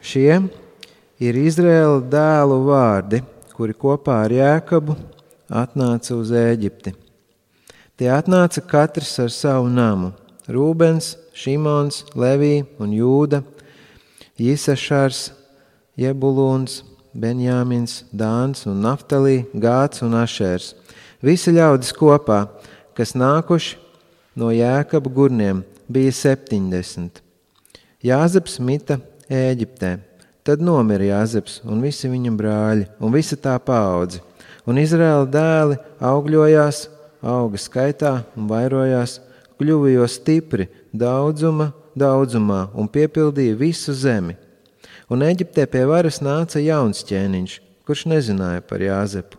Šie ir Izraēla dēlu vārdi, kuri kopā ar Jēkabu atnāca uz Ēģipti. Tie atnāca katrs ar savu namu: Rūbens, Šimons, Levī un Jūda, Jisašars, Jebulūns, Benjāmins, Dāns un Naftalī, Gāds un Ašērs. Visi ļaudis kopā, kas nākuši no Jēkaba gurniem, bija 70. Jāzeps mita Ēģiptē. Tad nomira Jāzeps un visi viņa brāļi un visa tā paudze. Un Izraēla dēli augļojās, auga skaitā un vairojās, kļuva jo stipri daudzumā un piepildīja visu zemi. Un Ēģiptē pie varas nāca jauns ķēniņš, kurš nezināja par Jāzepu.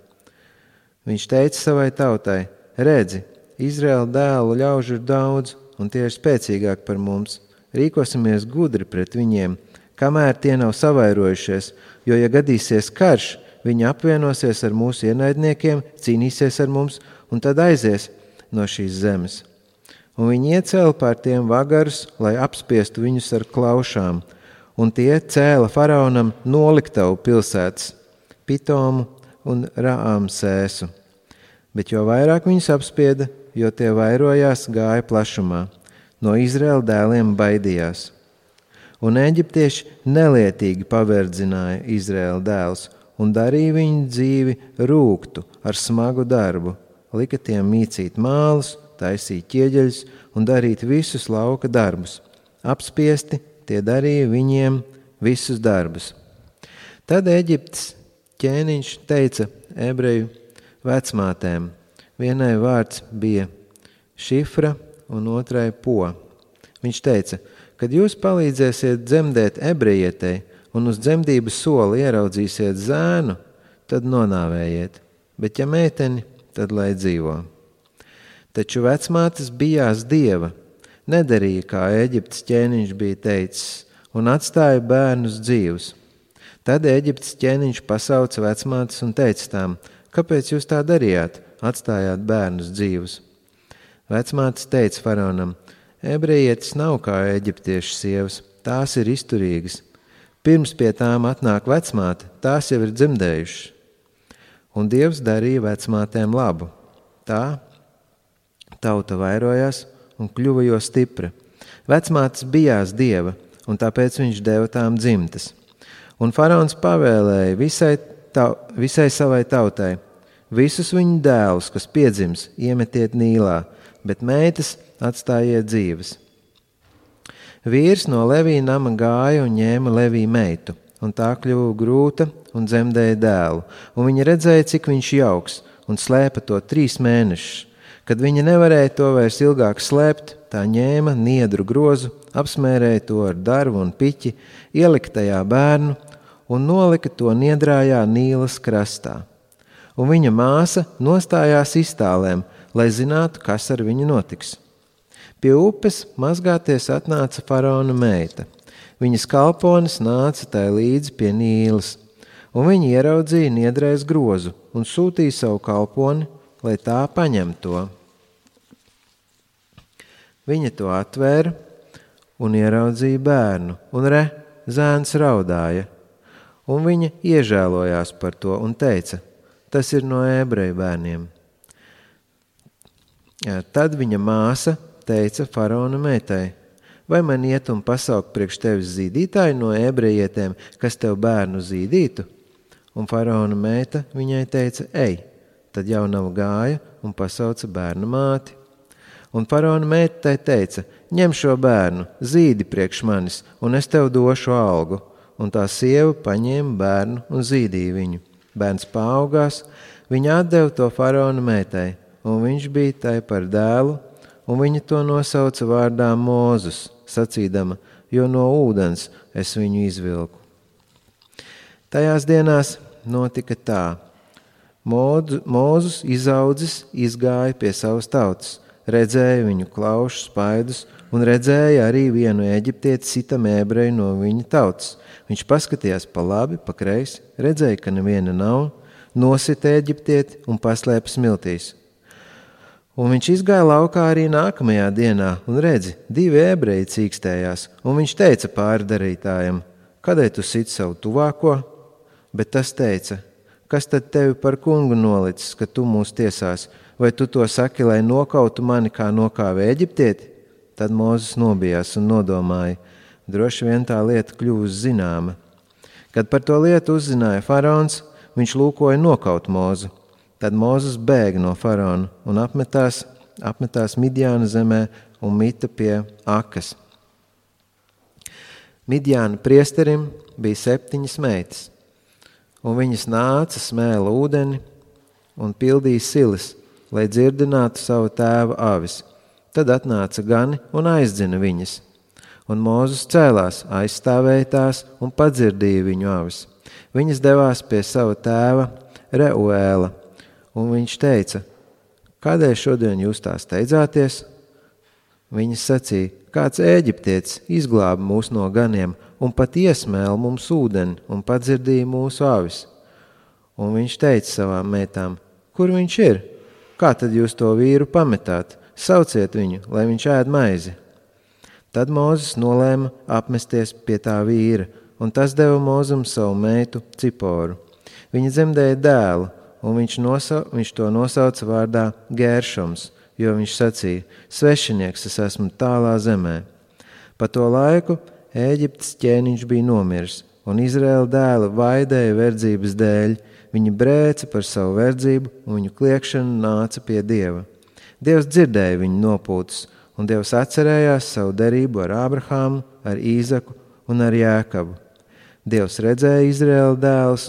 Viņš teica savai tautai: redzi, Izraēla dēlu ļaužu ir daudz, un tie ir spēcīgāki par mums. Rīkosimies gudri pret viņiem, kamēr tie nav savairojušies, jo, ja gadīsies karš, viņi apvienosies ar mūsu ienaidniekiem, cīnīsies ar mums un tad aizies no šīs zemes. Un viņi iecēla pār tiem vagarus, lai apspiestu viņus ar klaušām, un tie cēla faraonam noliktavu pilsētas, Pitomu un Raamsēsu. Bet jo vairāk viņus apspieda, jo tie vairojās, gāja plašumā. No Izraēla dēliem baidījās. Un eģiptieši nelietīgi paverdzināja Izraēla dēlus un darīja viņu dzīvi rūgtu ar smagu darbu. Lika tiem mīcīt mālus, taisīt ķieģeļus un darīt visus lauka darbus. Apspiesti tie darīja viņiem visus darbus. Tad Eģiptes ķēniņš teica ebreju vecmātēm. Vienai vārds bija Šifra un otrai Po. Viņš teica: kad jūs palīdzēsiet dzemdēt ebrejietei un uz dzemdības soli ieraudzīsiet zēnu, tad nonāvējiet, bet ja meiteni, tad lai dzīvo. Taču vecmātes bijās Dieva, nedarīja, kā Eģiptes ķēniņš bija teicis, un atstāja bērnus dzīvus. Tad Eģiptes ķēniņš pasauca vecmātes un teica tām: kāpēc jūs tā darījāt, atstājāt bērnus dzīvus? Vecmātes teica faraonam: ebrejietis nav kā eģiptiešu sievas, tās ir izturīgas. Pirms pie tām atnāk vecmāte, tās jau ir dzemdējušas. Un Dievs darīja vecmātēm labu. Tā tauta vairojās un kļuva jo stipra. Vecmātes bijās Dieva, un tāpēc viņš deva tām dzimtas. Un faraons pavēlēja visai savai tautai: visus viņu dēlus, kas piedzims, iemetiet Nīlā, bet meitas atstājiet dzīves. Vīrs no Levī nama gāja un ņēma Levī meitu, un tā kļuva grūta un dzemdēja dēlu. Un viņa redzēja, cik viņš jauks, un slēpa to 3 mēnešus. Kad viņa nevarēja to vairs ilgāk slēpt, tā ņēma niedru grozu, apsmērēja to ar darbu un piķi, ielika tajā bērnu un nolika to niedrājā Nīlas krastā. Un viņa māsa nostājās iztālēm, lai zinātu, kas ar viņu notiks. Pie upes mazgāties atnāca faraona meita. Viņas kalponis nāca tai līdzi pie Nīlas, un viņa ieraudzīja niedrais grozu un sūtīja savu kalponi, lai tā paņem to. Viņa to atvēra un ieraudzīja bērnu, un zēns raudāja. Un viņa iežēlojās par to un teica: tas ir no ebreju bērniem. Tad viņa māsa teica faraona meitai: vai man iet un pasaukt priekš tevis zīdītāju no ebrejietēm, kas tev bērnu zīdītu? Un faraona meita viņai teica: ej. Tad jaunava gāja un pasauca bērnu māti. Un faraona meitai teica: ņem šo bērnu, zīdi priekš manis, un es tev došu algu. Un tā sieva paņēma bērnu un zīdīja viņu. Bērns paaugās, viņa atdeva to faraona meitai, un viņš bija tai par dēlu, un viņa to nosauca vārdā Mūzus, sacīdama: jo no ūdens es viņu izvilku. Tajās dienās notika tā. Mūzus izaudzis izgāja pie savas tautas, redzēja viņu klaušu spaidus un redzēja arī vienu eģiptieti sitam ebreju no viņa tautas. Viņš paskatījās pa labi, pa kreisi, redzēja, ka neviena nav, nosita eģiptieti un paslēpa smiltīs. Un viņš izgāja laukā arī nākamajā dienā un redzi, 2 ebreji cīkstējās, un viņš teica pārdarītājam: kādēļ tu sit savu tuvāko? Bet tas teica, kas tad tevi par kungu nolicis, ka tu mūs tiesās? Vai tu to saki, lai nokautu mani, kā nokāva Eģiptieti? Tad Mūzes nobijās un nodomāja, droši vien tā lieta kļūs zināma. Kad par to lietu uzzināja faraons, viņš lūkoja nokaut Mūzu. Tad Mūzes bēga no faraona un apmetās Midjāna zemē un mita pie Akas. Midjāna priesterim bija 7 meitas, un viņas nāca, smēla ūdeni un pildīja silas, lai dzirdinātu savu tēva avis. Tad atnāca gani un aizdzina viņas. Un Mūzes cēlās, aizstāvēja tās un padzirdīja viņu avis. Viņas devās pie sava tēva Reuēla, un viņš teica, kādēļ šodien jūs tā steidzāties? Viņas sacīja, kāds Ēģiptietis izglāba mūs no ganiem un pat iesmēla mums ūdeni un padzirdīja mūsu avis. Un viņš teica savām meitām, kur viņš ir? Kā tad jūs to vīru pametāt? Sauciet viņu, lai viņš ēd maizi. Tad Mūzes nolēma apmesties pie tā vīra, un tas deva Mūzum savu meitu Ciporu. Viņa dzemdēja dēlu, un viņš to nosauca vārdā Gēršoms, jo viņš sacīja, svešinieks es esmu tālā zemē. Pa to laiku Ēģiptes ķēniņš bija nomiris, un Izraēla dēli vaidēja verdzības dēļ. Viņi brēca par savu verdzību, un viņu kliekšana nāca pie Dieva. Dievs dzirdēja viņu nopūtas, un Dievs atcerējās savu derību ar Ābrahāmu, ar Īzaku un ar Jēkabu. Dievs redzēja Izraēla dēlus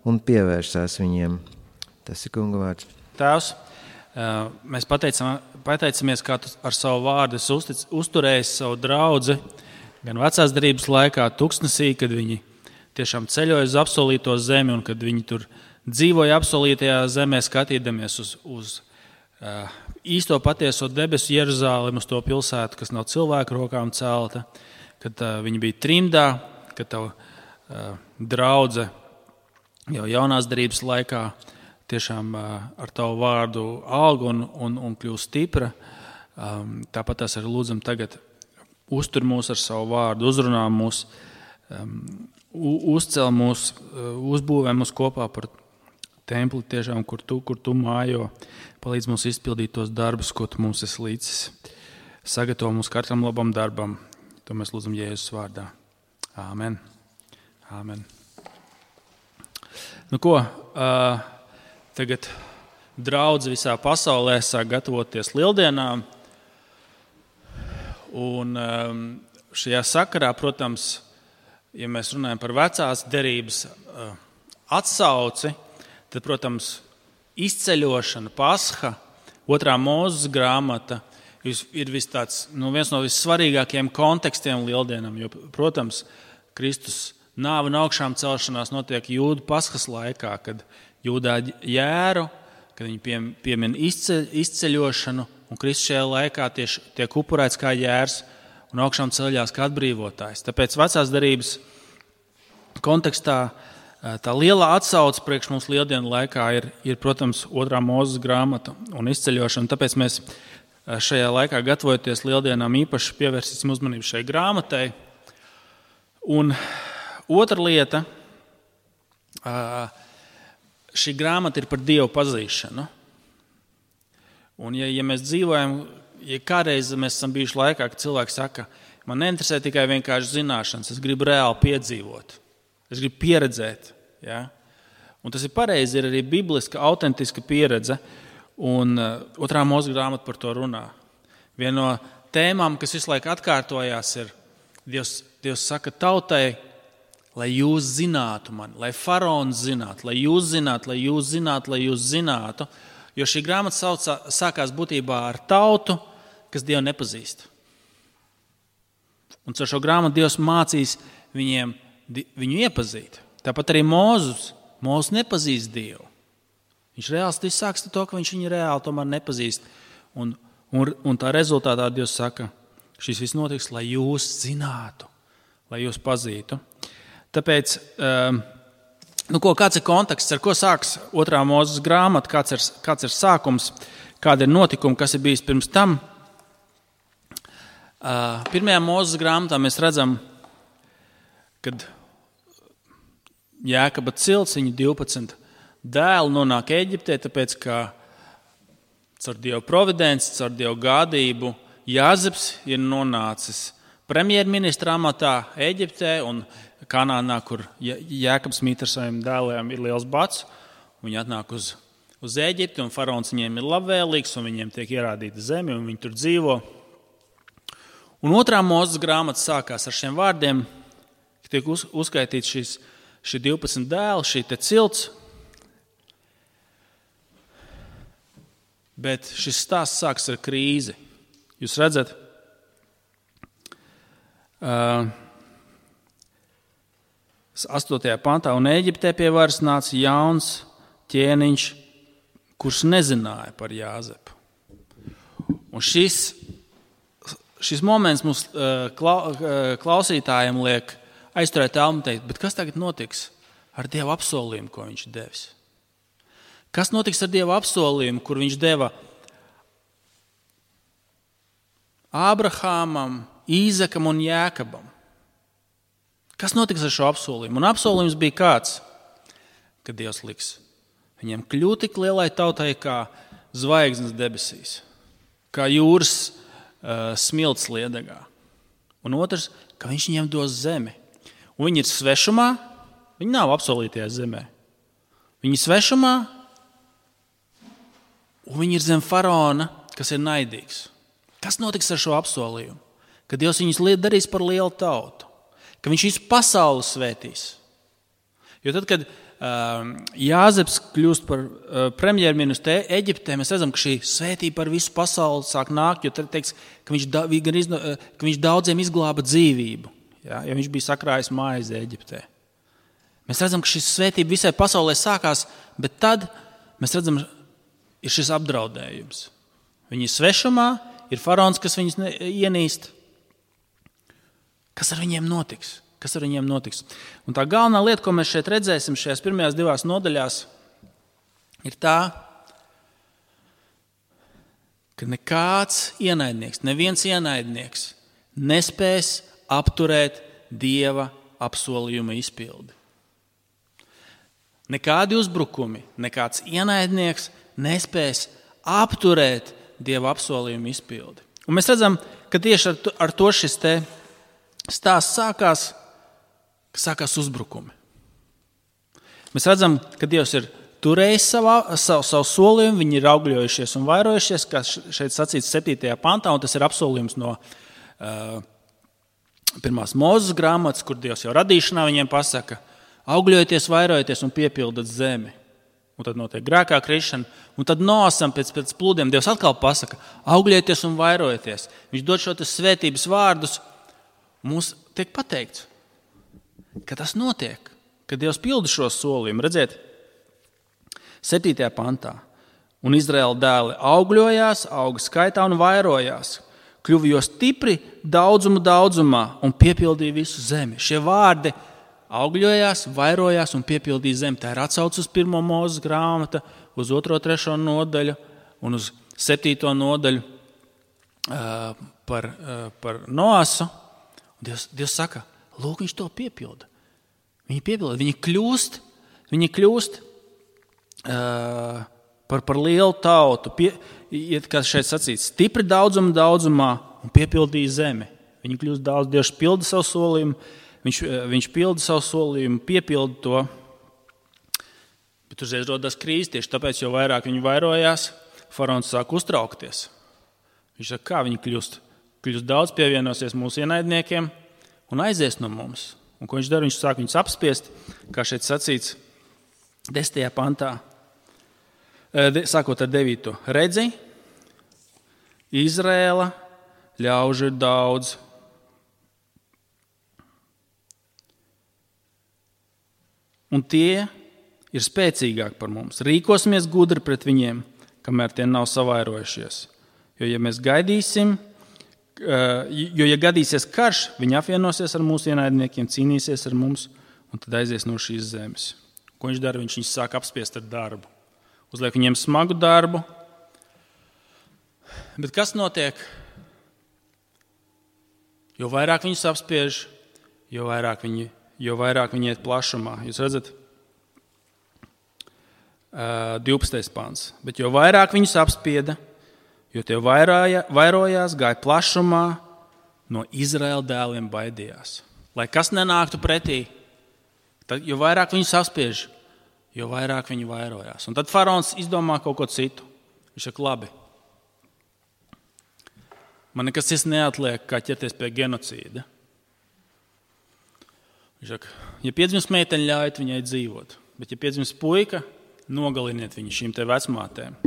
un pievērsās viņiem. Tas ir Kunga vārds. Tēvs, mēs pateicamies, kā tu ar savu vārdu uzturēji savu draudzi, gan vecās derības laikā tuksnesī, kad viņi tiešām ceļoja uz apsolīto zemi, un kad viņi tur dzīvoja apsolītajā zemē, skatīdamies uz īsto patieso debesu Jeruzālemi, uz to pilsētu, kas nav cilvēku rokām celta, kad viņi bija trimdā, kad tava draudze jau jaunās derības laikā tiešām ar tavu vārdu aug un kļūst stipra. Tāpat tās arī lūdzam tagad uztur mūs ar savu vārdu, uzrunā mūs, uzcel mūs, uzbūvē mūs kopā par templi tiešām, kur tu mājo, palīdz mums izpildīt tos darbus, ko tu mums esi līdzis. Sagatavo mums katram labam darbam. To mēs lūdzam Jēzus vārdā. Āmen. Āmen. Nu ko, tagad draudze visā pasaulē sāk gatavoties lieldienām. Un šajā sakarā, protams, ja mēs runājam par vecās derības atsauci, tad, protams, izceļošana, Pasha, 2. Mūzes grāmata ir viens no vissvarīgākajiem kontekstiem lieldienām, jo, protams, Kristus nāve un augšām celšanās notiek Jūdu Paskas laikā, kad Jūdā jēru, kad viņi piemin izceļošanu, un Kristus šajā laikā tieši tiek upurēts kā jērs un augšām ceļās kā atbrīvotājs. Tāpēc vecās derības kontekstā tā lielā atsauce priekš mums lieldienu laikā ir, protams, 2. Mūzes grāmata un izceļošana. Tāpēc mēs šajā laikā, gatavojoties lieldienām, īpaši pievērsīsim uzmanību šai grāmatai. Un otra lieta, šī grāmata ir par Dievu pazīšanu. Un ja mēs dzīvojam, ja kādreiz mēs esam bijuši laikā, kad cilvēki saka, man neinteresē tikai vienkārši zināšanas, es gribu reāli piedzīvot, es gribu pieredzēt. Ja? Un tas ir pareizi, ir arī bibliska, autentiska pieredze, un 2. Mūzes grāmata par to runā. Viena no tēmām, kas visu laiku atkārtojās, ir Dievs saka tautai, lai jūs zinātu mani, lai faraons zinātu, lai jūs zinātu, lai jūs zinātu, lai jūs zinātu, jo šī grāmata sākās būtībā ar tautu, kas Dievu nepazīst. Un ar šo grāmatu Dievs mācīs viņu iepazīt. Tāpat arī Mūzes nepazīst Dievu. Viņš reāli sāks to, ka viņš viņu reāli tomēr nepazīst. Un tā rezultātā Dievs saka, šis viss notiks, lai jūs zinātu, lai jūs pazītu. Tāpēc, kāds ir konteksts, ar ko sāks 2. Mūzes grāmata, kāds ir sākums, kāda ir notikuma, kas ir bijis pirms tam. 1. Mūzes grāmatā mēs redzam, kad Jēkaba cilts, viņa 12 dēli nonāk Eģiptē, tāpēc, ka caur Dieva providenci, caur Dieva gādību Jāzeps ir nonācis premjerministra amatā Eģiptē un Kanānā, kur Jēkabs mīt ar saviem dēliem, ir liels bats. Viņi atnāk uz Eģipti, un faraons viņiem ir labvēlīgs, un viņiem tiek ierādīta zeme, un viņi tur dzīvo. Un 2. Mūzes grāmata sākās ar šiem vārdiem, ka tiek uzskaitīts šī 12 dēli, šī te cilts. Bet šis stāsts sāks ar krīzi. Jūs redzat, 8. pantā, un Eģiptē pie varas nāca jauns ķēniņš, kurš nezināja par Jāzepu. Un šis moments mums klausītājiem liek aizturēt elmu un teikt, bet kas tagad notiks ar Dieva apsolījumu, ko viņš devis? Kas notiks ar Dieva apsolījumu, kur viņš deva Ābrahāmam, Īzekam un Jēkabam? Kas notiks ar šo apsolījumu? Un apsolījums bija kāds, ka Dievs liks viņiem kļūt tik lielai tautai kā zvaigznes debesīs, kā jūras smilts liedegā. Un otrs, ka viņš viņiem dos zemi. Un viņi ir svešumā, viņi nav apsolītajā zemē. Viņi ir svešumā, un viņi ir zem faraona, kas ir naidīgs. Kas notiks ar šo apsolījumu? Ka Dievs viņus darīs par lielu tautu, ka viņš visu pasauli svētīs. Jo tad, kad Jāzeps kļūst par premjerministru Eģiptē, mēs redzam, ka šī svētība par visu pasauli sāk nākt, jo tad teiks, ka viņš daudziem izglāba dzīvību, ja, jo viņš bija sakrājis maizi Eģiptē. Mēs redzam, ka šī svētība visai pasaulē sākās, bet tad mēs redzam, ir šis apdraudējums. Viņi ir svešumā, ir faraons, kas viņus ienīst. Kas ar viņiem notiks? Un tā galvenā lieta, ko mēs šeit redzēsim šajās pirmajās 2 nodaļās, ir tā, ka neviens ienaidnieks nespēs apturēt Dieva apsolījuma izpildi. Nekādi uzbrukumi, nekāds ienaidnieks nespēs apturēt Dieva apsolījuma izpildi. Un mēs redzam, ka tieši ar to šis te stāsts sākās uzbrukumi. Mēs redzam, ka Dievs ir turējis savu solījumu, viņi ir augļojušies un vairojušies, kā šeit sacīts 7. pantā, un tas ir apsolījums no 1. Mūzes grāmatas, kur Dievs jau radīšanā viņiem pasaka, augļojieties, vairojieties un piepildat zemi. Un tad notiek grēkā krišana, un tad Noasam pēc plūdiem Dievs atkal pasaka, augļojieties un vairojieties. Viņš dod šo svētības vārdus, mums tiek pateikts, ka tas notiek, ka Dievs pilda šo solījumu. Redziet, 7. pantā. Un Izraēla dēli augļojās, auga skaitā un vairojās, kļuva jo stipri daudzumā un piepildīja visu zemi. Šie vārdi augļojās, vairojās un piepildīja zemi. Tā ir atsauce uz 1. Mūzes grāmata, uz 2. 3. nodaļu un uz 7. nodaļu par Noasu. Dievs saka, lūk, viņš to piepilda. Viņi kļūst par lielu tautu, kā šeit sacīts, stipri daudzumā un piepildīja zemi. Viņi kļūst daudz, Dievs pilda savu solījumu, viņš pilda savu solījumu, piepilda to, bet uzreiz rodas krīze tieši tāpēc, jo vairāk viņi vairojās, faraons sāk uztraukties. Viņš saka, kā viņi kļūst daudz, pievienosies mūsu ienaidniekiem un aizies no mums. Un ko viņš dara? Viņš sāk viņus apspiest, kā šeit sacīts 10. pantā, sākot ar 9. Redzi, Izraēla ļaužu ir daudz. Un tie ir spēcīgāki par mums. Rīkosimies gudri pret viņiem, kamēr tie nav savairojušies. Jo, ja gadīsies karš, viņi apvienosies ar mūsu ienaidniekiem, cīnīsies ar mums un tad aizies no šīs zemes. Ko viņš dara? Viņš sāk apspiest ar darbu. Uzliek viņiem smagu darbu. Bet kas notiek? Jo vairāk viņus apspiež, jo vairāk viņi jo vairāk viņi iet plašumā. Jūs redzat, 12. pants. Bet jo vairāk viņus apspieda, jo tie vairojās, gāja plašumā, no Izraēla dēliem baidījās. Lai kas nenāktu pretī, tad, jo vairāk viņus apspiež, jo vairāk viņi vairojās. Un tad faraons izdomā kaut ko citu. Viņš saka, labi, man nekas cits neatliek, kā ķerties pie genocīda. Viņš saka, ja piedzimst meiteņa, ļaujiet viņai dzīvot, bet ja piedzimst puika, nogaliniet viņu šīm te vecmātēm.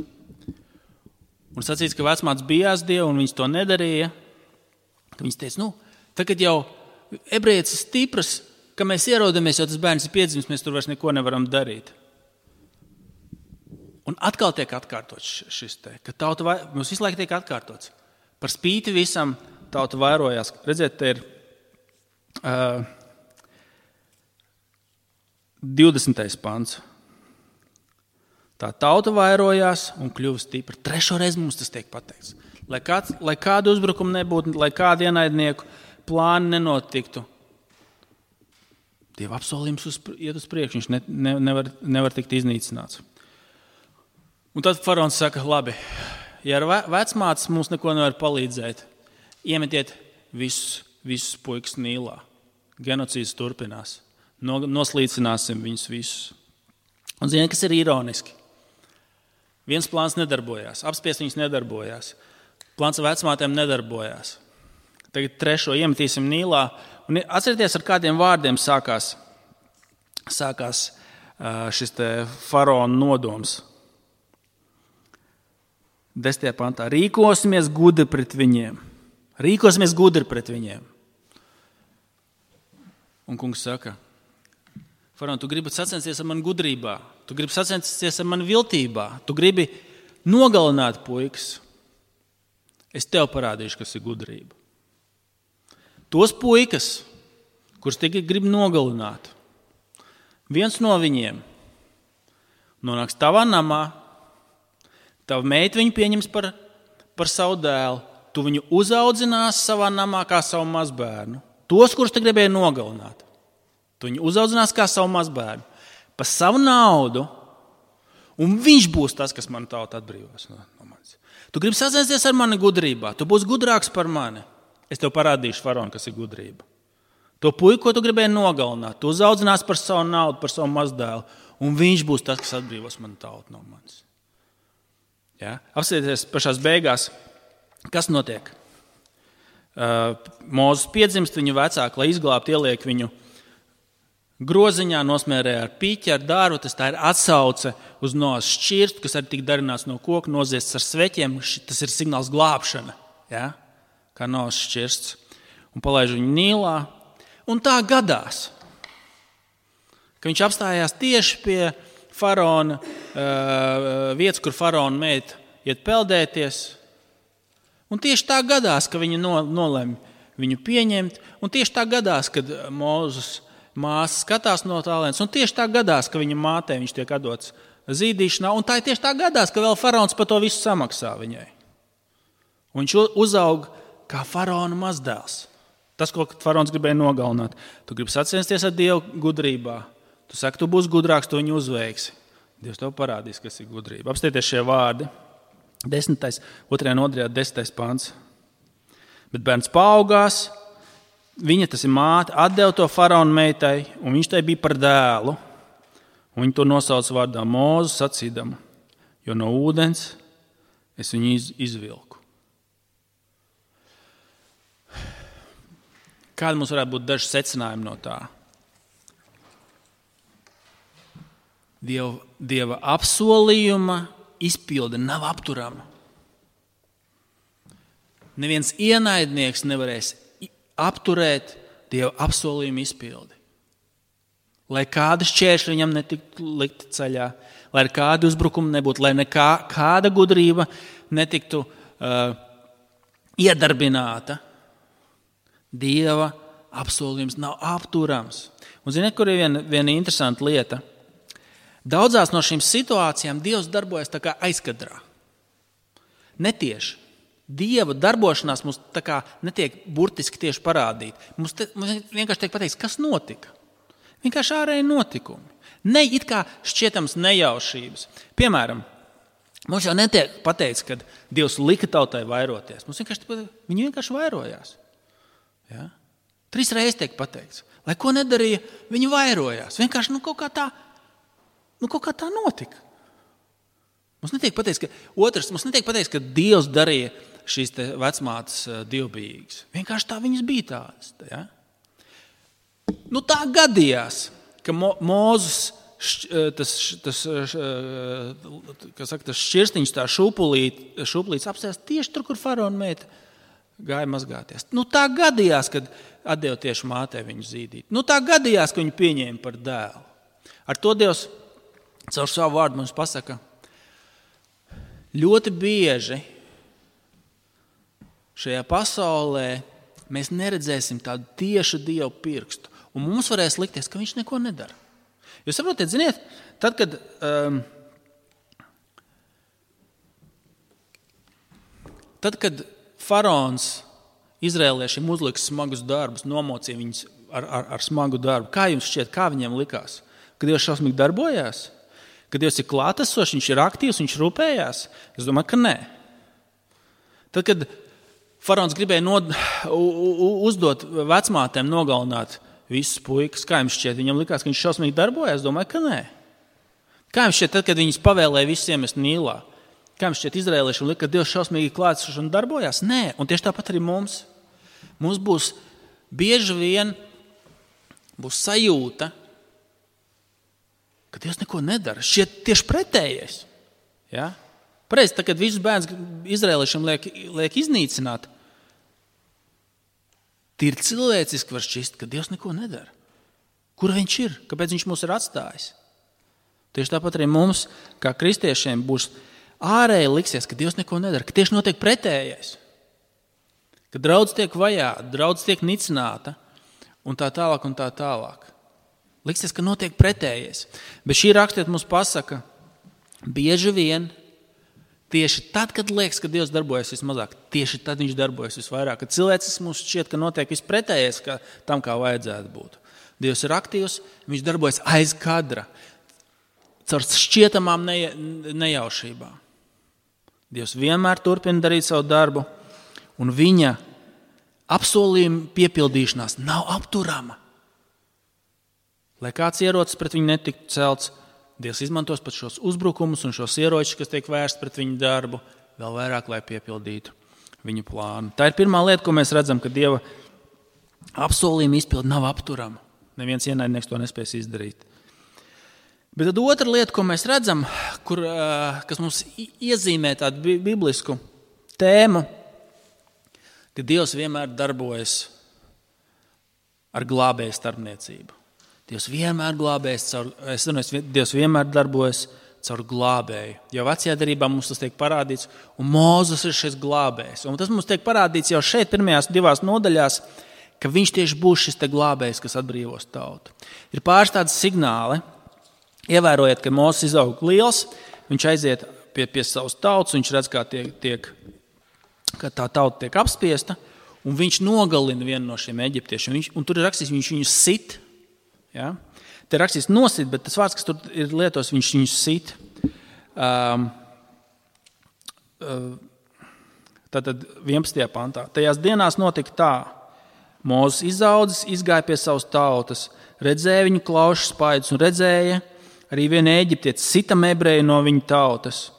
Un sacīts, ka vecmātes bijās Dievu un viņas to nedarīja. Viņas teica, tagad jau ebrejietis ir stipras, ka mēs ierodamies, jo tas bērns ir piedzimis, mēs tur vairs neko nevaram darīt. Un atkal tiek atkārtots šis te, ka mums visu laiku tiek atkārtots. Par spīti visam tauta vairojās. Redziet, te ir 20. pants. Tā tauta vairojās un kļuva stipra. 3. reizi mums tas tiek pateikts. Lai kādu uzbrukumu nebūtu, lai kādu ienaidnieku plāni nenotiktu. Dieva apsolījums iet uz priekšu, viņš nevar tikt iznīcināts. Un tad faraons saka, labi, ja ar vecmātes mums neko nevar palīdzēt, iemetiet visus puikas Nīlā. Genocīds turpinās. Noslīcināsim viņus visus. Un ziniet, kas ir ironiski? Viens plāns nedarbojās, apspiest viņus nedarbojās. Plāns ar vecmātēm nedarbojās. Tagad 3. iemetīsim Nīlā. Un atcerieties, ar kādiem vārdiem sākās šis te faraona nodoms. 10. pantā. Rīkosimies gudri pret viņiem. Rīkosimies gudri pret viņiem. Un kungs saka, faraon, tu gribi sacensties ar mani gudrībā. Tu gribi sacensties ar mani viltībā. Tu gribi nogalināt puikas. Es tev parādīšu, kas ir gudrība. Tos puikas, kurus tikai grib nogalināt, viens no viņiem nonāks tavā namā, tava meita viņu pieņems par savu dēlu, tu viņu uzaudzinās savā namā kā savu mazbērnu. Tos, kurus te gribēja nogalināt, tu viņu uzaudzinās kā savu mazbērnu, par savu naudu, un viņš būs tas, kas manu tautu atbrīvos no manis. Tu gribi sacensties ar mani gudrībā, tu būsi gudrāks par mani. Es tev parādīšu, faraon, kas ir gudrība. To puiku, ko tu gribēji nogalināt, tu uzaudzinās par savu naudu, par savu mazdēlu, un viņš būs tas, kas atbrīvos manu tautu no manis. Ja? Apskatieties pašās beigās, kas notiek. Mūzes piedzimst, viņu vecāki, lai izglābtu, ieliek viņu groziņā, nosmērē ar pīķi, ar dārvu. Tā ir atsauce uz Noas šķirstu, kas arī tika darināts no koka, noziests ar sveķiem. Tas ir signāls glābšana. Ja? Kā Noas šķirsts, un palaiž viņu Nīlā. Un tā gadās, ka viņš apstājās tieši pie faraona vietas, kur faraona meita iet peldēties. Un tieši tā gadās, ka viņa nolem viņu pieņemt, un tieši tā gadās, kad Mūzes māsa skatās no tālienes, un tieši tā gadās, ka viņa mātei viņš tiek atdots zīdīšanā, un tā ir tieši tā gadās, ka vēl faraons par to visu samaksā viņai. Un viņš uzaug kā faraona mazdēls. Tas, ko faraons gribēja nogalināt. Tu gribi sacensties ar Dievu gudrībā. Tu saki, tu būsi gudrāks, tu viņu uzveiksi. Dievs tev parādīs, kas ir gudrība. Apstieties šie vārdi. 2. un 10. pants. Bet bērns paaugās, viņa, tas ir māte, atdeva to faraona meitai, un viņš tai bija par dēlu. Un viņa to nosauca vārdā Mūzu, sacīdama, jo no ūdens es viņu izvilku. Kāda mums varētu būt daži secinājumi no tā? Dieva apsolījuma izpilde nav apturama. Neviens ienaidnieks nevarēs apturēt Dieva apsolījuma izpildi. Lai kāda šķēršļa viņam netiktu likt ceļā, lai kāda uzbrukuma nebūtu, lai kāda gudrība netiktu iedarbināta. Dieva apsolījums nav apturams. Un ziniet, kur ir viena interesanta lieta? Daudzās no šīm situācijām Dievs darbojas tā kā aizkadrā. Netieši. Dieva darbošanās mums tā kā netiek burtiski tieši parādīta. Mums vienkārši tiek pateikts, kas notika. Vienkārši ārēji notikumi. Ne it kā šķietams nejaušības. Piemēram, mums jau netiek pateikts, ka Dievs lika tautai vairoties. Viņi vienkārši vairojās. Ja? 3 reizes tiek pateikts. Lai ko nedarīja, viņi vairojās. Vienkārši kaut kā tā notika. Mums netiek pateikts, ka Dievs darīja šīs vecmātes dievbijīgas. Vienkārši tā viņas bija tādas. Ja? Tā gadījās, ka Mūzes tas šķirstiņš, tā šūpulīts apsēst tieši tur, kur faraona meita gāja mazgāties. Tā gadījās, kad atdeva tieši mātei viņu zīdīt. Tā gadījās, ka viņu pieņēma par dēlu. Ar to Dievs caur savu vārdu mums pasaka, ļoti bieži šajā pasaulē mēs neredzēsim tādu tiešu Dievu pirkstu. Un mums varēs likties, ka viņš neko nedara. Jūs saprotiet, ziniet, tad, kad faraons izrēliešiem uzliks smagus darbus, nomocīja viņus ar smagu darbu, kā jums šķiet, kā viņiem likās? Kad Dievs šausmīgi darbojās? Kad Dievs ir klātesošs, viņš ir aktīvs, viņš rūpējās? Es domāju, ka nē. Tad, kad faraons gribēja uzdot vecmātēm nogalināt visus puikas, kā jums šķiet, viņam likās, ka viņš šausmīgi darbojās? Es domāju, ka nē. Kā jums šķiet, tad, kad viņus pavēlēja visus iemest Nīlā? Kā jums šķiet izrēliešiem lika, ka Dievs šausmīgi klātesošs un darbojās? Nē, un tieši tāpat arī mums. Mums būs bieži vien sajūta, ka Dievs neko nedara. Šķiet tieši pretējais. Ja? Pareizi, tad, kad visus bērnus izrēliešiem liek iznīcināt, tīri cilvēciski var šķist, ka Dievs neko nedara. Kur viņš ir? Kāpēc viņš mūs ir atstājis? Tieši tāpat arī mums, kā kristiešiem, būs ārēji liksies, ka Dievs neko nedara, ka tieši notiek pretējais. Ka draudz tiek vajāta, draudz tiek nicināta un tā tālāk un tā tālāk. Liksies, ka notiek pretējais. Bet šī rakstiet mums pasaka, bieži vien tieši tad, kad liekas, ka Dievs darbojas vismazāk, tieši tad viņš darbojas visvairāk. Kad cilvēcis mums šķiet, ka notiek vispretējais tam, kā vajadzētu būt. Dievs ir aktīvs, viņš darbojas aiz kadra, caur šķietamām nejaušībām. Dievs vienmēr turpina darīt savu darbu, un viņa apsolījuma piepildīšanās nav apturama. Lai kāds ierocis pret viņu netiktu celts, Dievs izmantos pat šos uzbrukumus un šos ieročus, kas tiek vērsti pret viņu darbu, vēl vairāk, lai piepildītu viņa plānu. Tā ir pirmā lieta, ko mēs redzam, ka Dieva apsolījuma izpilde nav apturama. Neviens ienaidnieks to nespēs izdarīt. Bet tad otra lieta, ko mēs redzam, kas mums iezīmē tādu biblisku tēmu, ka Dievs vienmēr darbojas ar glābēju starpniecību. Dievs vienmēr darbojas caur glābēju. Jau vecajā derībā mums tas tiek parādīts, un Mūzes ir šis glābējs. Un tas mums tiek parādīts jau šeit pirmajās 2 nodaļās, ka viņš tieši būs šis te glābējs, kas atbrīvos tautu. Ir pāris tādi signāli. Ievērojiet, ka Mūzes izaug liels, viņš aiziet pie savas tautas, viņš redz, ka tā tauta tiek apspiesta, un viņš nogalina vienu no šiem eģiptiešiem. Un tur ir rakstīts, viņš viņus sit. Ja? Te ir rakstīts nosit, bet tas vārds, kas tur ir lietos, viņš viņus sit. Tātad 11. pantā. Tajās dienās notika tā. Mūzes izaudzis, izgāja pie savas tautas, redzēja viņu klaušu spaidus un redzēja arī vienu eģiptieti sitam ebreju no viņa tautas.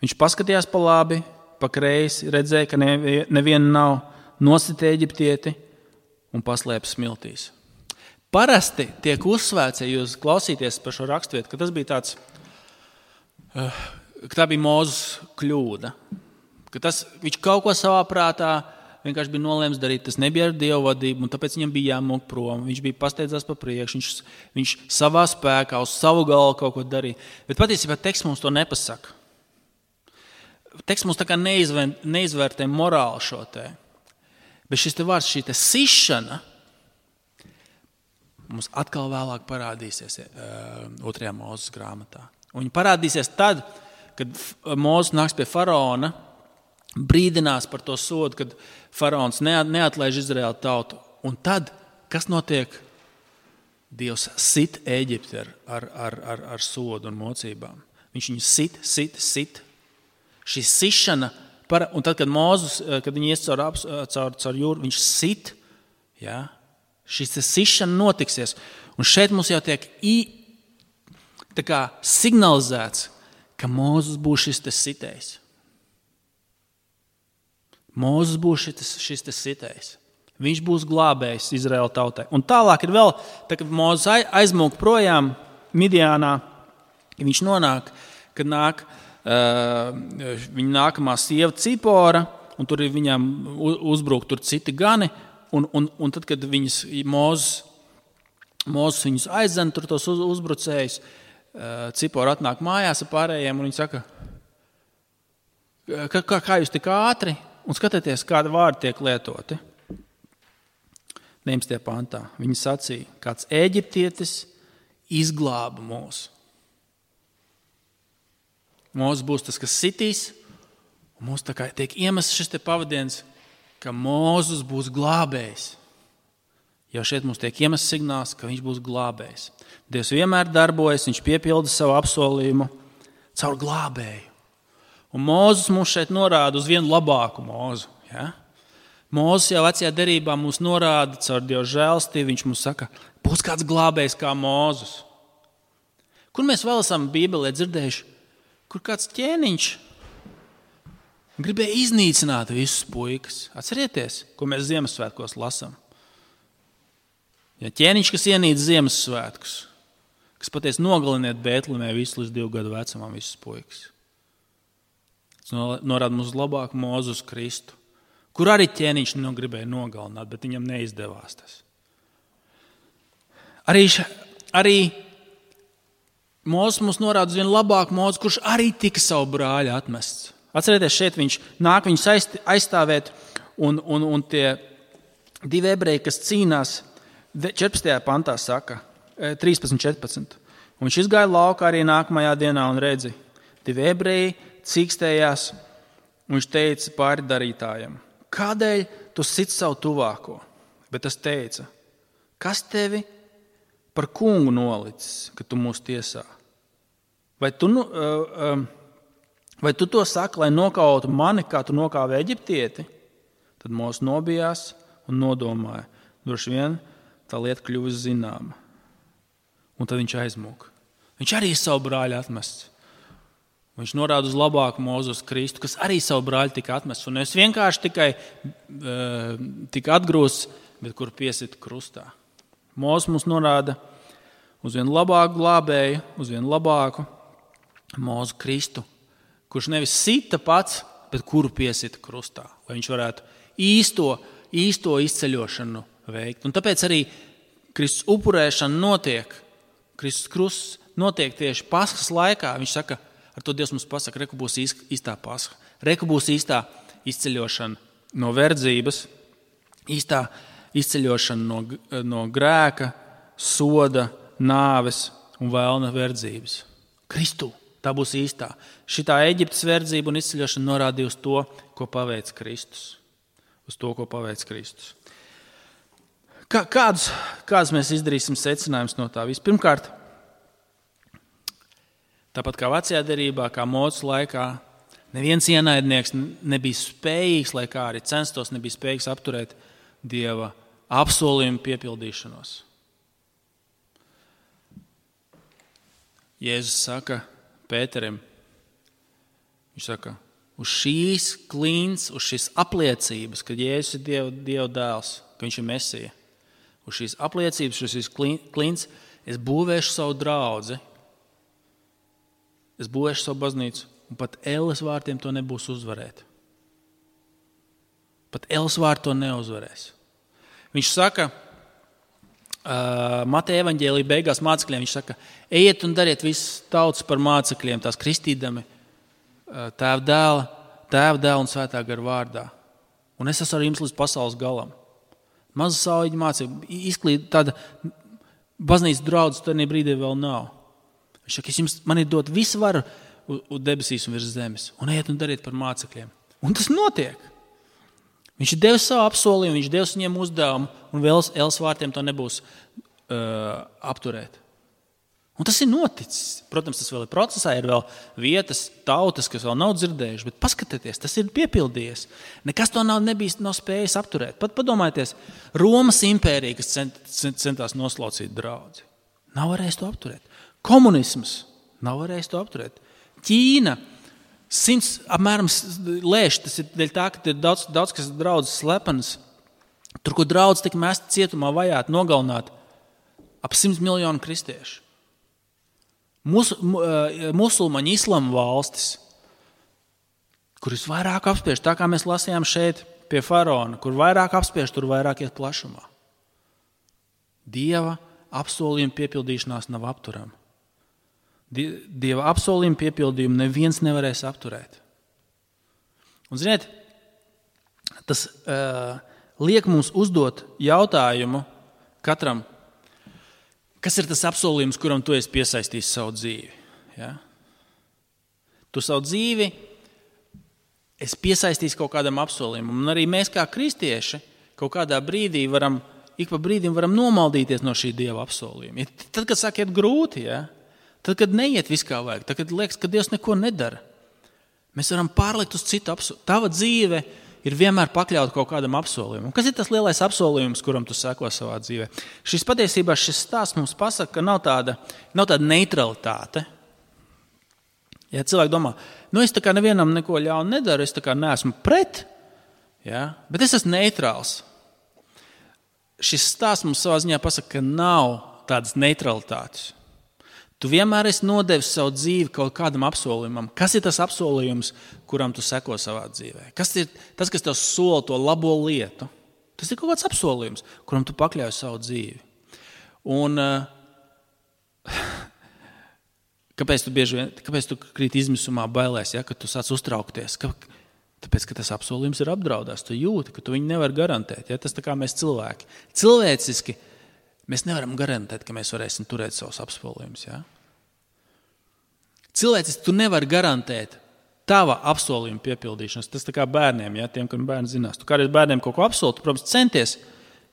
Viņš paskatījās pa labi, pa kreisi, redzēja, ka neviena nav, nosita eģiptieti un paslēpa smiltīs. Parasti tiek uzsvērts, ja jūs klausīties par šo raksturvietu, ka tas bija tāds, ka tā bija Mūzes kļūda. Ka viņš kaut ko savā prātā vienkārši bija nolēms darīt, tas nebija ar Dievu vadību, un tāpēc viņam bija jāmūk prom. Viņš bija pasteidzās pa priekšu, viņš savā spēkā, uz savu galvu kaut ko darīja. Bet patiesībā teksts mums to nepasaka. Teksts mums tā kā neizvērtē morāli šo te. Bet šis te vārds, šī te sišana, mums atkal vēlāk parādīsies 2. Mūzes grāmatā. Un viņi parādīsies tad, kad Mūzes nāks pie faraona, brīdinās par to sodu, kad faraons neatlaiž Izraēlu tautu. Un tad, kas notiek Dievs sit Ēģipti ar sodu un mocībām. Viņš viņu sit. Šī sišana, un tad, kad Mūzes, kad viņi ies caur jūru, viņš sit, ja? Šis sišana notiksies. Un šeit mums jau tiek tā kā signalizēts, ka Mūzes būs šis sitējs. Mūzes būs šis sitējs. Viņš būs glābējs Izraēla tautai. Un tālāk ir vēl, tā, kad Mūzes aizmūk projām Midjānā, viņš nonāk, kad nāk viņa nākamā sieva Cipora, un tur ir viņām uzbruk tur citi gani, un tad, kad viņas Mūzes viņus aizdzen, tur tos uzbrucējus, Cipora atnāk mājās ar pārējiem, un viņi saka, kā jūs tik ātri, un skatieties, kādi vārdi tiek lietoti. 19. pantā. Viņi sacīja, kāds Ēģiptietis izglāba mūs. Mūzes būs tas, kas sitīs, un mums tā kā tiek iemests šis pavadiens, ka Mūzes būs glābējs. Jau šeit mums tiek iemests signāls, ka viņš būs glābējs. Dievs vienmēr darbojas, viņš piepilda savu apsolījumu caur glābēju. Un Mūzes mums šeit norāda uz vienu labāku Mūzu. Ja? Mūzes jau vecajā derībā mums norāda caur Dieva žēlstību, viņš mums saka, būs kāds glābējs kā Mūzes. Kur mēs vēl esam Bībelē dzirdējuši? Kur kāds ķēniņš gribēja iznīcināt visus puikas. Atcerieties, ko mēs Ziemassvētkos lasām. Ja ķēniņš, kas ienīc Ziemassvētkus, kas patiesi nogaliniet Bētlemē visu līdz 2 gadu vecumam visus puikas. Tas norāda mums labāku Mūzu uz Kristu, kur arī ķēniņš gribēja nogalināt, bet viņam neizdevās tas. Arī Mūzes mums norāda uz vienu labāku Mūzu, kurš arī tika savu brāļu atmests. Atcerieties, šeit viņš nāk viņus aizstāvēt, un tie 2 ebreji, kas cīnās, 14. pantā saka, 13.14. Un viņš izgāja laukā arī nākamajā dienā un redzi, 2 ebreji cīkstējās, un viņš teica pāri darītājiem, kādēļ tu sit savu tuvāko? Bet tas teica, kas tevi par kungu nolicis, ka tu mūs tiesā? Vai tu to saki, lai nokautu mani, kā tu nokāvi Eģiptieti? Tad Mūzes nobijās un nodomāja. Droši vien tā lieta kļuvis zināma. Un tad viņš aizmūka. Viņš arī savu brāļu atmests. Viņš norāda uz labāku Mūzu uz Kristu, kas arī savu brāļu tika atmests. Un es vienkārši tikai tika atgrūsts, bet kur piesita krustā. Mūzes mums norāda uz vienu labāku glābēju, uz vienu labāku Mūzu Kristu, kurš nevis sita pats, bet kuru piesita krustā, lai viņš varētu īsto izceļošanu veikt. Un tāpēc arī Kristus upurēšana notiek, Kristus krusts notiek tieši Paskas laikā. Viņš saka, ar to Dievs mums pasaka, reku būs īstā Pasha, reku būs īstā izceļošana no verdzības, īstā izceļošana no grēka, soda, nāves un vēlna verdzības. Kristu. Tā būs īstā. Šitā Eģiptes verdzība un izceļošana norādīja uz to, ko paveic Kristus. Uz to, ko paveic Kristus. Kāds mēs izdarīsim secinājumus no tā? Vispirmkārt, tāpat kā vecajā derībā, kā Mūzes laikā, neviens ienaidnieks nebija spējīgs, lai kā arī censtos, nebija spējīgs apturēt Dieva apsolījumu piepildīšanos. Jēzus saka Pēterim, viņš saka, uz šīs klints, uz šīs apliecības, ka Jēzus ir Dieva dēls, ka viņš ir Mesija, uz šīs apliecības, uz šīs klints, es būvēšu savu draudzi, es būvēšu savu baznīcu, un pat elles vārtiem to nebūs uzvarēt. Pat elles vārti to neuzvarēs. Viņš saka, Mateja evaņģēlija beigās mācekļiem, viņš saka, ejiet un dariet visas tautas par mācekļiem, tās kristīdami Tēva dēla un Svētā gara vārdā. Un es esmu ar jums līdz pasaules galam. Maza sauļa mācība, izklīd tāda baznīcas draudz, tad brīdī vēl nav. Viņš saka, man ir dot visu varu uz debesīs un virs zemes, un ejiet un dariet par mācekļiem. Un tas notiek. Viņš ir devis savu apsolījumu, viņš devis viņiem uzdevumu, un vēl elles vārtiem to nebūs apturēt. Un tas ir noticis. Protams, tas vēl ir procesā, ir vēl vietas, tautas, kas vēl nav dzirdējuši, bet paskatieties, tas ir piepildījies. Nekas to nav spējis apturēt. Pat padomājieties, Romas impērija, kas centās noslaucīt draudzi, nav varējis to apturēt. Komunisms nav varējis to apturēt. Ķīna 100 apmēram lēš, tas ir dēļ tā, ka ir daudz kas draudzes slepenas. Tur, kur draudz tika mesti cietumā, vajāti, nogalināt ap 100 miljonu kristiešu. Musulmaņu islama valstis, kur visvairāk apspiež, tā kā mēs lasījām šeit pie faraona, kur vairāk apspiež, tur vairāk iet plašumā. Dieva apsolījuma piepildīšanās nav apturama. Dieva apsolījuma piepildījumu neviens nevarēs apturēt. Un ziniet, tas liek mums uzdot jautājumu katram, kas ir tas apsolījums, kuram tu esi piesaistījis savu dzīvi? Ja? Tu savu dzīvi esi piesaistījis kaut kādam apsolījumam. Un arī mēs kā kristieši kaut kādā brīdī ik pa brīdim varam nomaldīties no šī Dieva apsolījuma. Tad, kad sāk iet grūti, ja? Tad, kad neiet viss kā vajag, tad, kad liekas, ka Dievs neko nedara, mēs varam pārlikt uz citu apsolījumu. Tava dzīve ir vienmēr pakļauta kaut kādam apsolījumam. Kas ir tas lielais apsolījums, kuram tu seko savā dzīvē? Šis stāsts mums pasaka, ka nav tāda neutralitāte. Ja cilvēki domā, es tā kā nevienam neko ļaunu nedaru, es tā kā neesmu pret, ja? Bet es esmu neitrāls. Šis stāsts mums savā ziņā pasaka, ka nav tādas neutralitātes. Tu vienmēr esi nodevis savu dzīvi kaut kādam apsolījumam. Kas ir tas apsolījums, kuram tu seko savā dzīvē? Kas ir tas, kas tev sola to labo lietu? Tas ir kaut kāds apsolījums, kuram tu pakļauj savu dzīvi. Un kāpēc tu krīt izmisumā, bailēs, ja, kad tu sāc uztraukties? Tāpēc, ka tas apsolījums ir apdraudās. Tu jūti, ka tu viņu nevar garantēt. Ja? Tas tā kā mēs cilvēki. Cilvēciski mēs nevaram garantēt, ka mēs varēsim turēt savus apsolījumus. Ja? Cilvēciski tu nevari garantēt tava apsolījuma piepildīšanas. Tas tā kā bērniem, ja? Tiem, kam bērni zinās. Tu kādreiz bērniem kaut ko apsoli, tu, protams, centies,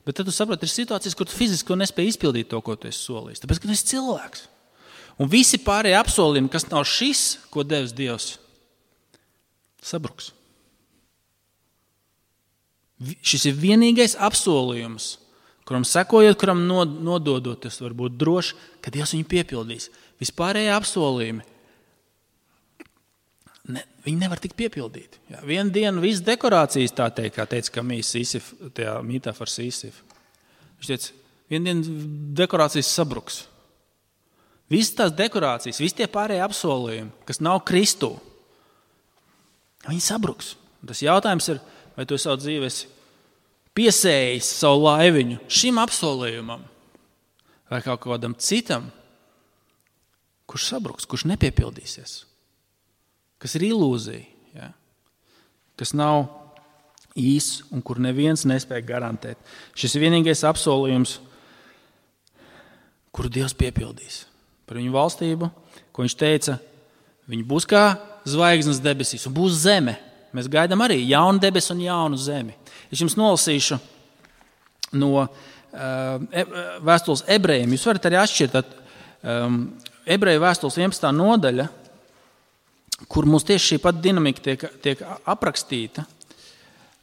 bet tad tu saproti, ir situācijas, kur tu fiziski nespēji izpildīt to, ko tu esi solījis. Tāpēc, ka tu esi cilvēks. Un visi pārējie apsolījumi, kas nav šis, ko devis Dievs, sabruks. Šis ir vienīgais apsolījums, kuram sekojot, kuram nododot, tas var būt droši, ka Dievs viņu piepildīs. Vispārējie apsolījumi, viņi nevar tikt piepildīti. Ja, vienu dienu visas dekorācijas, tā teikt, kā teica Kamijs Sīsif, tajā mītā par Sīsifu. Viņš teica, vienu dienu dekorācijas sabruks. Visas tās dekorācijas, visi tie pārējie apsolījumi, kas nav Kristū, viņi sabruks. Un tas jautājums ir, vai tu savu dzīvi esi piesējis savu laiviņu šim apsolījumam vai kaut kādam citam, kurš sabruks, kurš nepiepildīsies, kas ir ilūzija, ja? Kas nav īsts un kur neviens nespēja garantēt. Šis ir vienīgais apsolījums, kuru Dievs piepildīs par viņu valstību, ko viņš teica, viņi būs kā zvaigznes debesīs un būs zeme. Mēs gaidām arī jaunu debesu un jaunu zemi. Es jums nolasīšu no vēstules ebrejiem. Jūs varat arī atšķirt ebreju vēstules 11. nodaļa, kur mums tieši šī pat dinamika tiek aprakstīta.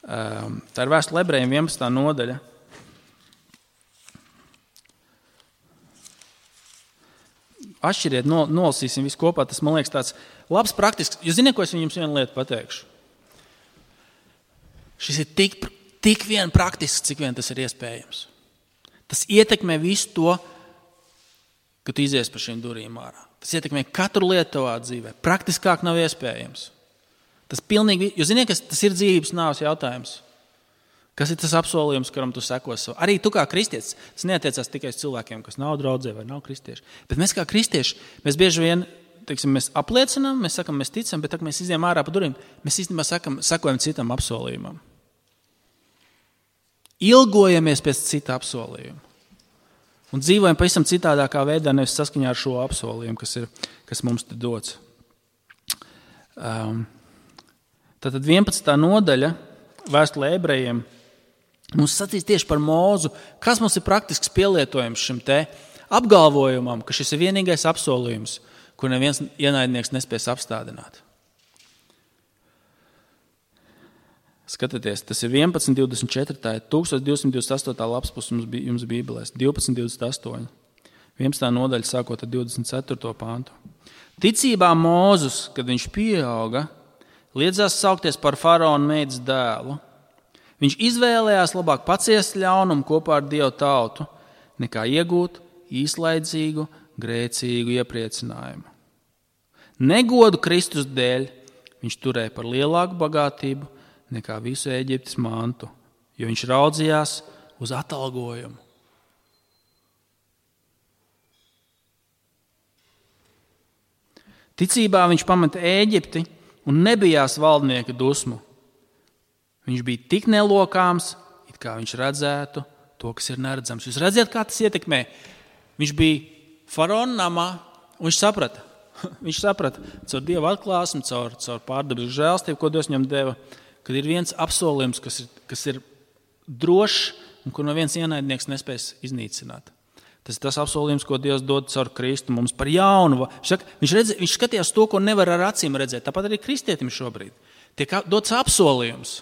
Tā ir vēstule ebrejiem 11. nodaļa. Atšķiriet, nolasīsim visu kopā. Tas, man liekas, tāds labs praktisks. Jūs zināt, ko es jums vienu lietu pateikšu? Šis ir tik vien praktisks, cik vien tas ir iespējams. Tas ietekmē visu to, ka tu izies par šīm durvīm ārā. Tas ietekmē katru lietu tavā dzīvē. Praktiskāk nav iespējams. Tas pilnīgi, jūs zināt, tas ir dzīvības nāves jautājums. Kas ir tas apsolījums, kuram tu sekos savu? Arī tu kā kristietis, tas neatiecās tikai uz cilvēkiem, kas nav draudzē vai nav kristieši. Bet mēs kā kristieši, mēs bieži vien, mēs apliecinām, mēs sakam, mēs ticam, bet tā, mēs izjām ārā pa durvīm, mēs īstenībā sekojam citam apsolījumam. Ilgojamies pēc cita apsolījuma. Un dzīvojam pavisam citādākā veidā, nevis saskaņā ar šo apsolījumu, kas mums te dots. Tātad 11. nodaļa vēstulē ebrejiem Mums sacīs tieši par Mūzu, kas mums ir praktisks pielietojums šim te apgalvojumam, ka šis ir vienīgais apsolījums, kur neviens ienaidnieks nespēs apstādināt. Skatieties, tas ir 11.24, tā ir 1228. lapspus jums Bībelēs, 12.28, 11. nodaļa sākot ar 24. pāntu. Ticībā Mūzus, kad viņš pieauga, liedzās saukties par faraona meitas dēlu. Viņš izvēlējās labāk paciest ļaunumu kopā ar Dievu tautu, nekā iegūt īslaidzīgu, grēcīgu iepriecinājumu. Negodu Kristus dēļ viņš turēja par lielāku bagātību nekā visu Ēģiptes mantu, jo viņš raudzījās uz atalgojumu. Ticībā viņš pameta Ēģipti un nebijās valdnieka dusmu. Viņš bija tik nelokāms, it kā viņš redzētu to, kas ir neredzams. Jūs redzat, kā tas ietekmē? Viņš bija faraona namā, un viņš saprata. Viņš saprata caur Dieva atklāsmi, caur pārdabisku žēlstību, ko Dievs viņam deva, kad ir viens apsolījums, kas ir drošs un kur neviens ienaidnieks nespēs iznīcināt. Tas ir tas apsolījums, ko Dievs dod caur Kristu mums par jaunu. Viņš skatījās to, ko nevar ar acīm redzēt. Tāpat arī kristietim šobrīd. Tiek dots apsolījums.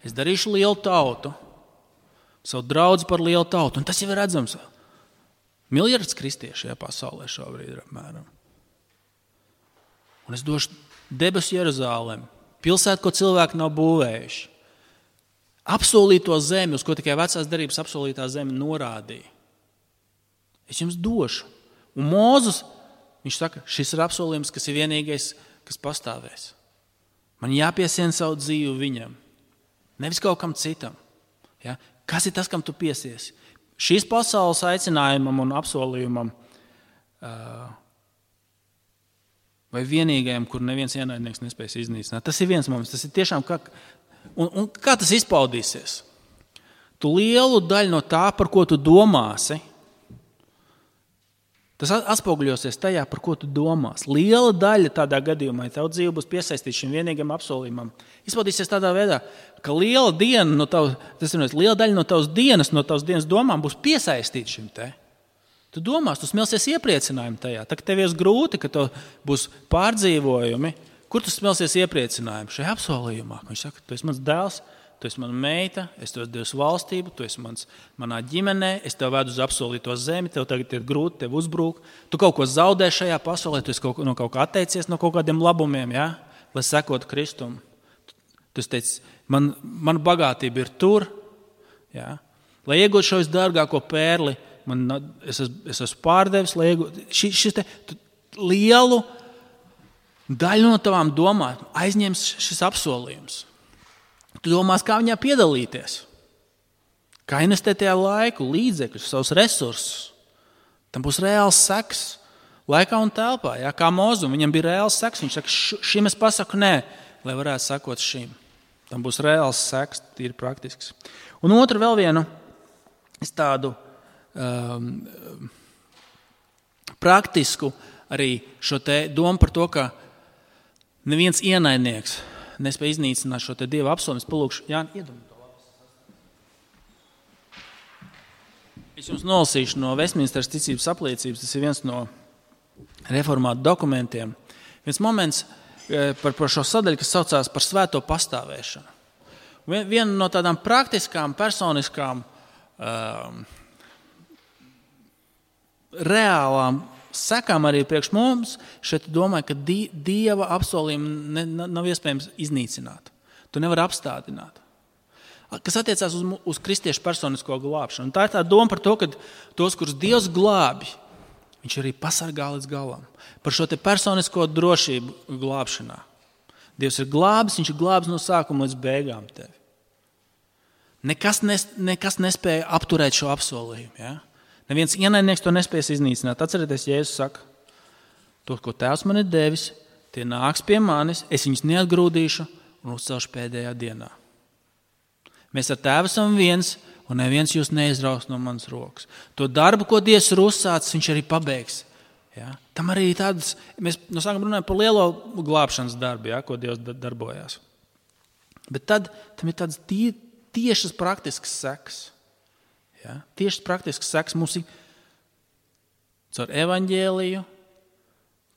Es darīšu lielu tautu, savu draudzi par lielu tautu. Un tas jau ir redzams. Miljards kristiešu šajā pasaulē šobrīd ir apmēram. Un es došu debesu Jeruzālemi, pilsētu, ko cilvēki nav būvējuši. Apsolīto zemi, uz ko tikai vecās derības apsolītā zeme norādīja. Es jums došu. Un Mūzus, viņš saka, šis ir apsolījums, kas ir vienīgais, kas pastāvēs. Man jāpiesien savu dzīvi viņam. Nevis kaut kam citam. Ja? Kas ir tas, kam tu piesiesi? Šīs pasaules aicinājumam un apsolījumam vai vienīgajam, kur neviens ienaidnieks nespēs iznīcināt. Tas ir viens moments. Tas ir tiešām un kā tas izpaudīsies? Tu lielu daļu no tā, par ko tu domāsi, tas atspoguļosies tajā, par ko tu domās. Liela daļa tādā gadījumā, ja tev dzīve būs piesaistīta šim vienīgam apsolījumam, izpaudīsies tādā veidā, ka liela daļa no tavas dienas domām būs piesaistīta šim te. Tu domās, tu smelsies iepriecinājumu tajā. Tā, ka tev ir grūti, ka tev būs pārdzīvojumi. Kur tu smelsies iepriecinājumu? Šajā apsolījumā. Viņš saka, tu esi mans dēls, tu esi mana meita, es tev devu valstību, tu esi manā ģimenē, es tev vedu uz apsolīto zemi, tev tagad ir grūti, tev uzbrūk. Tu kaut ko zaudē šajā pasaulē, tu esi no kaut kā atteicies no kaut kādiem labumiem, ja? Lai sekotu Kristum. Tu teici, man bagātība ir tur, ja? Lai iegūtu šo visdārgāko pērli, es esmu pārdevis, lai iegūtu lielu daļu no tavām domām aizņems šis apsolījums. Tu domās, kā viņā piedalīties, kā investēt tajā laiku, līdzekļus, savus resursus. Tam būs reāls seks laikā un telpā, ja? Kā Mūzum, viņam bija reāls seks. Viņš saka, šim es pasaku nē, lai varētu sakot šim. Tam būs reāls seks, tīri praktisks. Un otru vēl vienu tādu praktisku arī šo te domu par to, ka neviens ienaidnieks nespēja iznīcināt šo te Dieva apsolījumu. Palūkšu, Jāni, iedomā to labi. Es jums nolasīšu no Vestminsteras ticības apliecības. Tas ir viens no reformātu dokumentiem. Viens moments par šo sadaļu, kas saucās par svēto pastāvēšanu. Viena no tādām praktiskām, personiskām, reālām sekām arī priekš mums, šeit domāju, ka Dieva apsolījumu nav iespējams iznīcināt. Tu nevari apstādināt. Kas attiecās uz kristiešu personisko glābšanu. Un tā ir tā doma par to, ka tos, kurus Dievs glābi, viņš arī pasargā līdz galam. Par šo te personisko drošību glābšanā. Dievs ir glābis, viņš ir glābis no sākuma līdz beigām tevi. Nekas nespēja apturēt šo apsolījumu. Ja? Neviens ienaidnieks to nespēs iznīcināt. Atcerieties, Jēzus saka, to, ko Tēvs man ir devis, tie nāks pie manis, es viņus neatgrūdīšu un uzcelšu pēdējā dienā. Mēs ar Tēvu esam viens, un neviens jūs neizraus no manas rokas. To darbu, ko Dievs ir uzsācis, viņš arī pabeigs. Ja? Tam arī tādas, mēs no sākuma runājam par lielo glābšanas darbu, ja? Ko Dievs darbojās. Bet tad tam ir tādas tiešas praktiskas sekas. Ja? Tiešas praktiskas sekas mums ir caur evaņģēliju.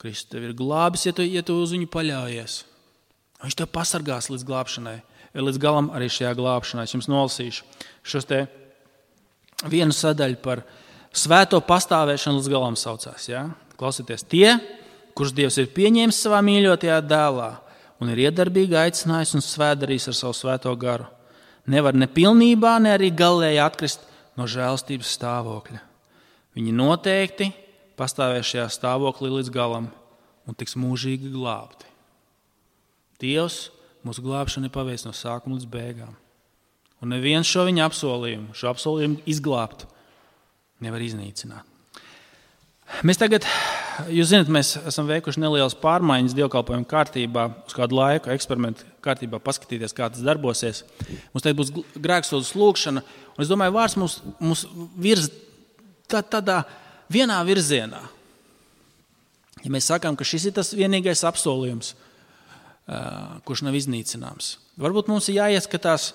Kristus tev ir glābis, ja tu uz viņu paļaujies. Viņš tev pasargās līdz glābšanai. Līdz galam arī šajā glābšanā. Es jums nolasīšu šos te vienu sadaļu par svēto pastāvēšanu līdz galam saucās. Ja? Klausieties, tie, kurus Dievs ir pieņēmis savā mīļotajā dēlā un ir iedarbīgi aicinājis un svētdarījis ar savu svēto garu, nevar ne pilnībā, ne arī galēji atkrist no žēlstības stāvokļa. Viņi noteikti pastāvēs šajā stāvoklī līdz galam un tiks mūžīgi glābti. Dievs mūsu glābšanu ir paveicis no sākuma līdz beigām. Un neviens šo viņa apsolījumu izglābt nevar iznīcināt. Mēs tagad, jūs zināt, mēs esam veikuši nelielas pārmaiņas dievkalpojumu kārtībā, uz kādu laiku eksperimentu kārtībā paskatīties, kā tas darbosies. Mums tagad būs grēksūdzes lūgšana, un es domāju, vārds mums virz tādā vienā virzienā. Ja mēs sakām, ka šis ir tas vienīgais apsolījums, kurš nav iznīcināms. Varbūt mums ir jāieskatās,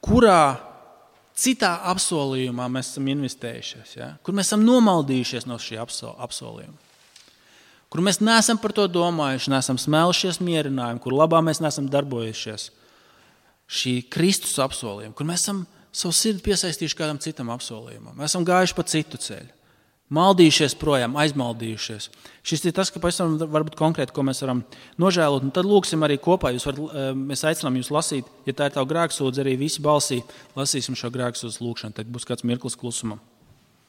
kurā citā apsolījumā mēs esam investējušies, ja? Kur mēs esam nomaldījušies no šī apsolījuma. Kur mēs neesam par to domājuši, neesam smēlušies mierinājumu, kur labā mēs neesam darbojušies šī Kristus apsolījuma, kur mēs esam savu sirdi piesaistījuši kādam citam apsolījumam. Mēs esam gājuši pa citu ceļu. Maldījušies projām, aizmaldījušies. Šis ir tas, ka pavisam varbūt konkrēti, ko mēs varam nožēlot. Un tad lūksim arī kopā. Mēs aicinām jūs lasīt, ja tā ir tavu grēksūdze, arī visi balsī lasīsim šo grēksūdzes lūkšanu. Tad būs kāds mirklis klusumam.